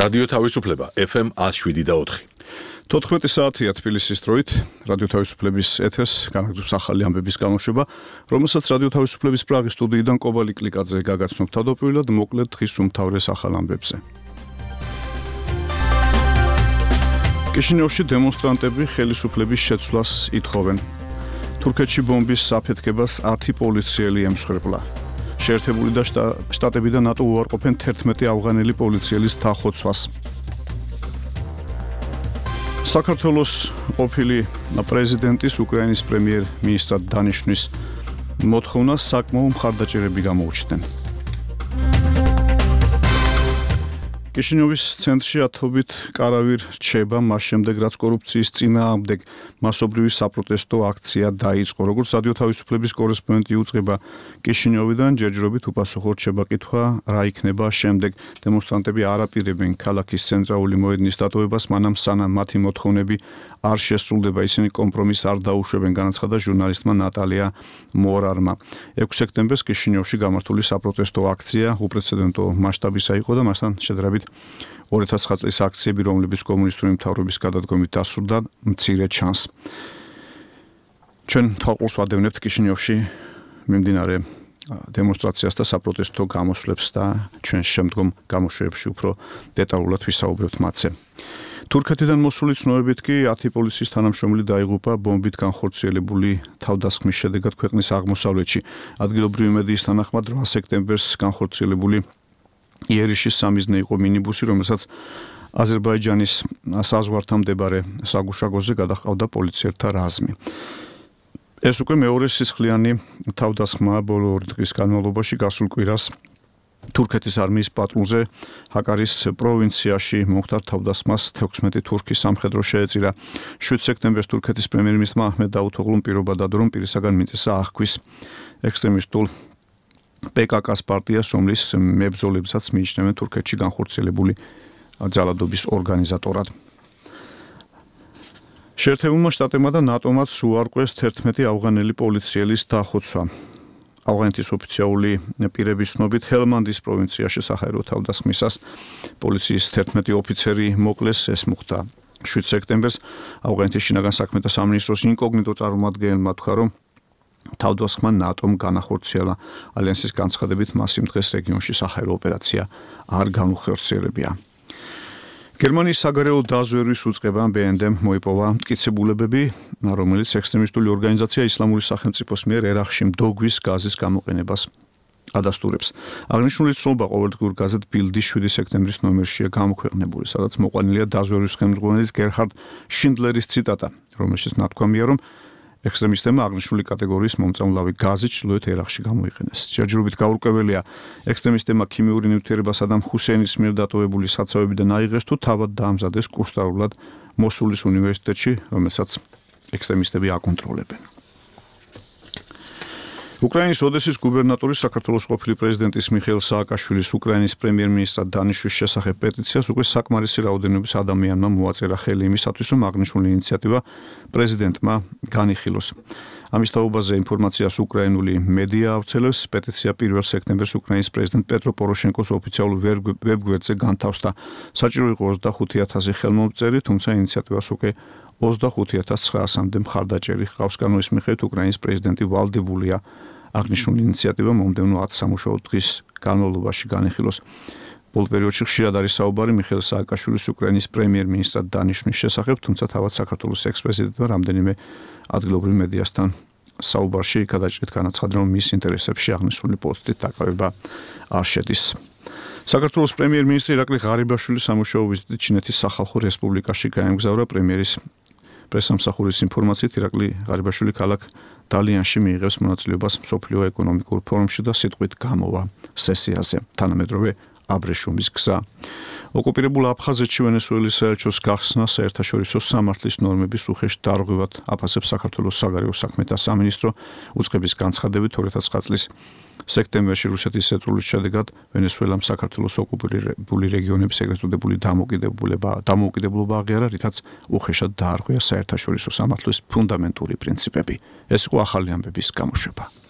რადიო თავისუფლება FM 107.4. 14 საათია თბილისის დროით რადიო თავისუფლების ეთერს განაგრძობს ახალი ამბების გამოშვება, რომელსაც რადიო თავისუფლების პრაღის სტუდიიდან კობალი კლიკაძე გაგაცნობ თავდაპირველად მოკლედ დღის უმთავრეს ახალ ამბებზე. კიშინიოვში დემონსტრანტები ხელისუფლების შეცვლას ითხოვენ. თურქეთში ბომბის საფეთქებას 10 პოლიციელი ემსხვერპლა. შეერთებული და შტატები და ნატო უარყოფენ 11 ავღანელი პოლიციელის დახოცვას. საქართველოს ყოფილი პრეზიდენტის უკრაინის პრემიერ-მინისტრად დანიშვნის მოთხოვნას საკმაო მხარდაჭერები გამოუჩნდნენ. კიშინიოვის ცენტრში ათობით კარავი რჩება მას შემდეგ, რაც კორუფციის წინააღმდეგ მასობრივი საპროტესტო აქცია დაიწყო. როგორც რადიო თავისუფლების კორესპონდენტი უწყება კიშინიოვიდან, ჯერჯერობით უპასუხო რჩება კითხვა, რა იქნება შემდეგ. დემონსტრანტები არ აპირებენ ქალაქის ცენტრალური მოედნის დატოვებას, მანამ სანამ მათი მოთხოვნები არ შესრულდება, ისინი კომპრომისს არ დაუშვებენ, განაცხადა ჟურნალისტმა ნატალია მორარმა. 6 სექტემბერს კიშინიოვში გამართული საპროტესტო აქცია უპრეცედენტო მასშტაბისა იყო და მასთან შედარებით 2009 წლის აქციები, რომლებიც კომუნისტური მთავრობის გადადგომით დასრულდა, მცირე ჩანს. ჩვენ თვალყურს ვადევნებთ კიშინიოვში მიმდინარე დემონსტრაციას და საპროტესტო გამოსვლებს და ჩვენ შემდგომ გამოშვებებში უფრო დეტალურად ვისაუბრებთ მათზე. თურქეთიდან მოსული ცნობებით კი 10 პოლიციის თანამშრომელი დაიღუპა ბომბით განხორციელებული თავდასხმის შედეგად ქვეყნის აღმოსავლეთში. ადგილობრივი მედიის თანახმად 8 სექტემბერს განხორციელებული იერიშის სამიზნე იყო მინიბუსი, რომელსაც აზერბაიჯანის საზღვართან მდებარე საგუშაგოზე გადაჰყავდა პოლიციელთა რაზმი. ეს უკვე მეორე სისხლიანი თავდასხმაა ბოლო 2 დღის განმავლობაში. გასულ კვირას თურქეთის არმიის პატრულზე ჰაკარის პროვინციაში მომხდარ თავდასხმას 16 თურქის სამხედრო შეეწირა. 7 სექტემბერს თურქეთის პრემიერ-მინისტრმა აჰმედ დაუთოღლუმ პირობა დადო, რომ პირისაგან მიწესა აღქვის ექსტრემისტულ PKK-ს პარტიას, რომლის მებრძოლებსაც მიიჩნევენ თურქეთში განხორციელებული ძალადობის ორგანიზატორად. შეერთებულმა შტატებმა და ნატომაც უარყვეს 11 ავღანელი პოლიციელის დახოცვა. ავღანეთის ოფიციალური პირების ცნობით ჰელმანდის პროვინციაში საჰაერო თავდასხმისას პოლიციის 11 ოფიცერი მოკლეს. ეს მოხდა 7 სექტემბერს. ავღანეთის შინაგან საქმეთა სამინისტროს ინკოგნიტო წარმომადგენელმა თქვა, რომ თავდასხმა ნატომ განახორციელა. ალიანსის განცხადებით მას იმ დღეს რეგიონში საჰაერო ოპერაცია არ განუხორციელებია. გერმანიის საგარეო დაზვერვის უწყებამ BND-მ მოიპოვა მტკიცებულებები, რომელიც ექსტრემისტული ორგანიზაცია ისლამური სახელმწიფოს მიერ ერაყში მდოგვის გაზის გამოყენებას ადასტურებს. აღნიშნული ცნობა ყოველდღიურ გაზეთ ბილდი 7 სექტემბრის ნომერშია გამოქვეყნებული, სადაც მოყვანილია დაზვერვის ხელმძღვანელის გერჰარდ შინდლერის ციტატა, რომელშიც ნათქვამია, რომ ექსტრემისტებმა აღნიშნული კატეგორიის მომწამლავი გაზი ჩრდილოეთ ერაყში გამოიყენეს. ჯერჯერობით გაურკვეველია, ექსტრემისტებმა ქიმიური ნივთიერება სადამ ჰუსეინის მიერ დატოვებული საცავებიდან აიღეს თუ თავად დაამზადეს კურსდავრულად მოსულის უნივერსიტეტში, რომელსაც ექსტრემისტები აკონტროლებენ. უკრაინის ოდესის გუბერნატორი საქართველოს ყოფილი პრეზიდენტის მიხეილ სააკაშვილის უკრაინის პრემიერ-მინისტრად დანიშვნის შესახებ პეტიციას უკვე საკმარისი რაოდენობის ადამიანმა მოაწერა ხელი იმისათვის, რომ აღნიშნული ინიციატივა პრეზიდენტმა განიხილოს. ამის თაობაზე ინფორმაციას უკრაინული მედია ავრცელებს. პეტიცია 1 სექტემბერს უკრაინის პრეზიდენტ პეტრო პოროშენკოს ოფიციალურ ვებგვერდზე განთავსდა. საჭირო იყო 25,000 ხელმომწერი, თუმცა ინიციატივას უკვე 25,900-მდე მხარდაჭერი ჰყავს. კანონის მიხედვით უკრაინის პრეზიდენტი ვალდებულია აღნიშნული ინიციატივა მომდევნო 10 სამუშაო დღის განმავლობაში განიხილოს. ბოლო პერიოდში ხშირად არის საუბარი მიხეილ სააკაშვილის უკრაინის პრემიერ-მინისტრად დანიშვნის შესახებ, თუმცა თავად საქართველოს ექს-პრეზიდენტმა რამდენიმე ადგილობრივ მედიასთან საუბარში გადაჭრით განაცხადა, რომ მის ინტერესებში აღნიშნული პოსტით დაკავება არ შედის. საქართველოს პრემიერ-მინისტრი ირაკლი ღარიბაშვილის სამუშაო ვიზიტით ჩინეთის სახალხო რესპუბლიკაში გაემგზავრა. პრემიერის პრესამსახურის ინფორმაციით, ირაკლი ღარიბაშვილი ქალაქ დალიანში მიიღებს მონაწილეობას მსოფლიო ეკონომიკურ ფორუმში და სიტყვით გამოვა სესიაზე. თანამედროვე აბრეშუმის გზა. ოკუპირებულ აფხაზეთში ვენესუელის საელჩოს გახსნა საერთაშორისო სამართლის ნორმების უხეშ დარღვევად აფასებს საქართველოს საგარეო საქმეთა სამინისტრო. უწყების განცხადებით 2009 წლის სექტემბერში რუსეთის შეწურვის შედეგად ვენესუელამ საქართველოს ოკუპირებული რეგიონების ეგრეთ წოდებული დამოუკიდებლობა აღიარა, რითაც უხეშად დაარღვია საერთაშორისო სამართლის ფუნდამენტური პრინციპები. ეს იყო ახალი ამბების გამოშვება.